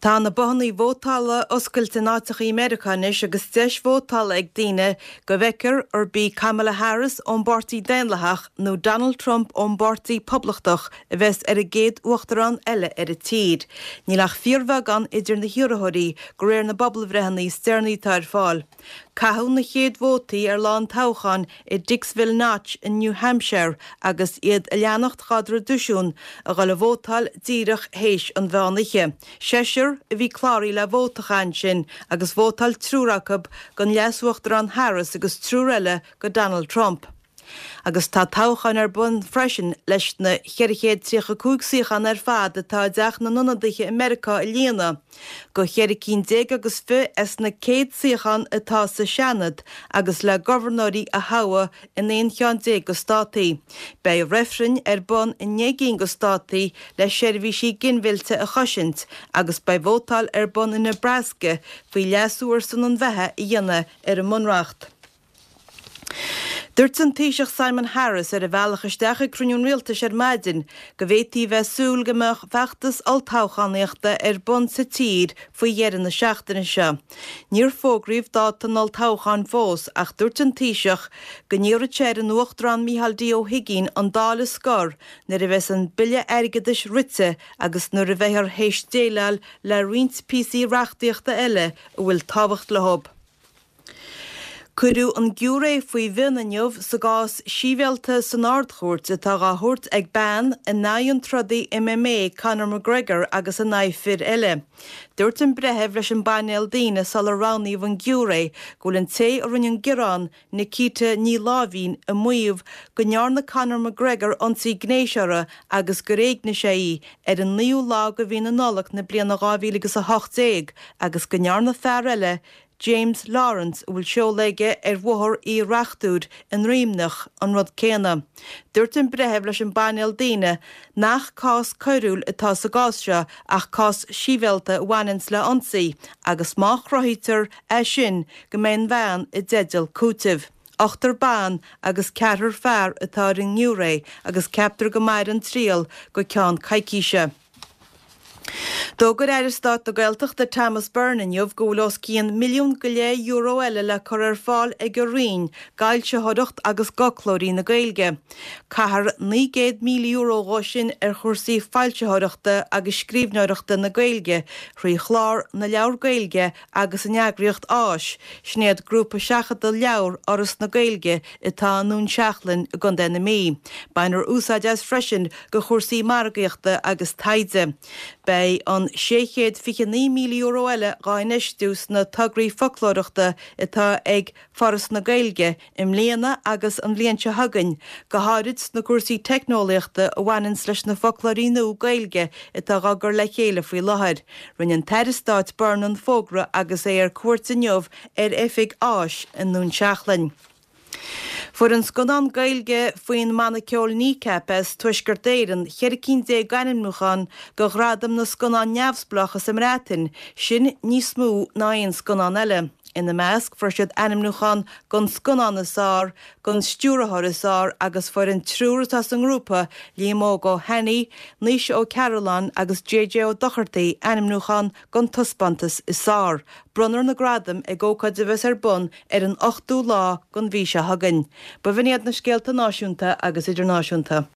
Tá na bothannaí vótála oscailte in áiteachaí i Meiriceá anois agus deis vótála ag daoine go bhfeicfear arb í Kamala Harris ón bPáirtí Daonlathach nó Donald Trump ón bPáirtí Poblachtach a bheas ar an gcéad uachtarán eile ar an tír. Níl ach fíorbheagán idir na hiarrthóirí de réir na bpobalbhreitheanna is deireanaí atá ar fáil. Caitheadh na chéad vótaí ar lá an toghcháin i Dixville Notch in New Hampshire agus iad a leanacht dhá dtraidisiún a dhul a vótáil díreach théis an mheán oíche. Seisear a bhí cláraithe le vóta a chaitheamh ansin agus vótáil triúr acu don Leas-Uachtarán Harris agus triúr eile go Donald Trump. Agus tá toghcháin ar bun freisin leis na 435 suíochán ar fad atá i dTeach na nIonadaithe i Meiriceá a líonadh, go cheithre cinn déag agus fi as na 100 suíochán atá sa Seanad agus le gobharnóirí a thoghadh in 11 cheann de státaí. Beidh reifrinn ar bun i ndeich gcinn de státaí le seirbhísí ginmhillte a chosaint agus beidh vótáil ar bun i Nebraska faoi leasú ar son an bheatha a dhéanamh ar an mBunreacht. Dúirt an Taoiseach Simon Harris ar a bhealach isteach ag cruinniú an Rialtais ar maidin go bhféadfaí bheith ag súil go mbeadh feachtas olltoghchánaíochta ar bun sa tír faoi dheireadh na seachtaine seo. Níor fógraíodh dáta an olltoghcháin fós ach dúirt an Taoiseach go n-iarrfaidh sé ar an Uachtarán Micheál D Ó hUigínn an Dáil a scor nuair a bheas an Bille Airgeadais rite agus nuair a bheifear théis déileáil le roinnt píosaí reachtaíochta eile a bhfuil tábhacht leo. Cuireadh an giúiré faoi mhionn inniu sa gcás sibhialta san Ard-Chúirt atá dhá thabhairt ag bean in aghaidh an trodaí MMA Conor McGregor agus in aghaidh fir eile. Dúirt an breitheamh leis an bpainéal daoine sular roghnaíodh an giúiré go bhfuil an té a rinne an gearán, Nikita Ní Láimhín, ag maíomh go ndearna Conor McGregor ionsaí gnéis uirthi agus gur éignigh sé í ar an naoú lá de mhí na Nollag na bliana 2018 agus go ndearna fear eile, James Lawrence, a bhfuil seoladh aige ar Bhóthar Uí Reachtúir i nDroimneach, an rud céanna. Dúirt an breitheamh leis an bpainéal daoine nach cás coiriúil atá sa gcás seo ach cás sibhialta a bhaineanns le ionsaí agus má chruthaítear é sin go mbeidh an bhean i dteideal cúitimh. Ochtar ban agus ceathrar fear atá ar an ngiúiré agus ceaptar go mairfidh an triail go ceann coicíse. D'fhógair Aire Stáit na Gaeltachta Thomas Byrne inniu go bhfuil os cionn €1.5 milliún eile le cur ar fáil ag a Roinn d'fhoilsitheoireacht agus d'fhoclóirí na Gaeilge. Caithfear €900,000 dhó sin ar chúrsaí foilsitheoireachta agus scríbhneoireachta na Gaeilge thrí chlár na Leabhar Gaeilge agus an eagraíocht Áis, sin iad Grúpa Seachadta Leabhar Fhoras na Gaeilge atá i nDún Seachlainn i gContae na Mí. Bainfear úsáid as freisin do chúrsaí margaíochta agus taighde. Beidh an €629,000 eile dhá infheistiú sna tograí foclóireachta atá ag Foras na Gaeilge i mbliana agus an bhliain seo chugainn, go háirid sna cúrsaí teicneolaíochta a bhaineanns leis na foclóirí nua Gaeilge atá dhá gcur le chéile faoi láthair. Rinne an tAire Stáit Byrne an fógra agus é ar cuairt inniu ar oifig Áis i nDún Seachlainn. Fuair an scannán Gaeilge faoin mbanna ceoil Kneecap as Tuaisceart Éireann 14 cinn d'ainmniúchán do Ghradaim na Scannán Neamhspleách sa mBreatain, sin níos mó ná aon scannán eile. Ina measc, fuair siad ainmniúchán don scannán is fearr, don stiúrthóir is fearr agus fuair an triúr atá sa ngrúpa, Liam Óg Ó hAnnaidh, Naoise Ó Cearúlláin agus JJ Ó Dochartaigh ainmniúchán don taispeántas is fearr. Bronnfar na gradaim ag ócáid a bheas ar bun ar an ochtú lá den mhí seo chugainn. B'in iad na scéalta náisiúnta agus idirnáisiúnta.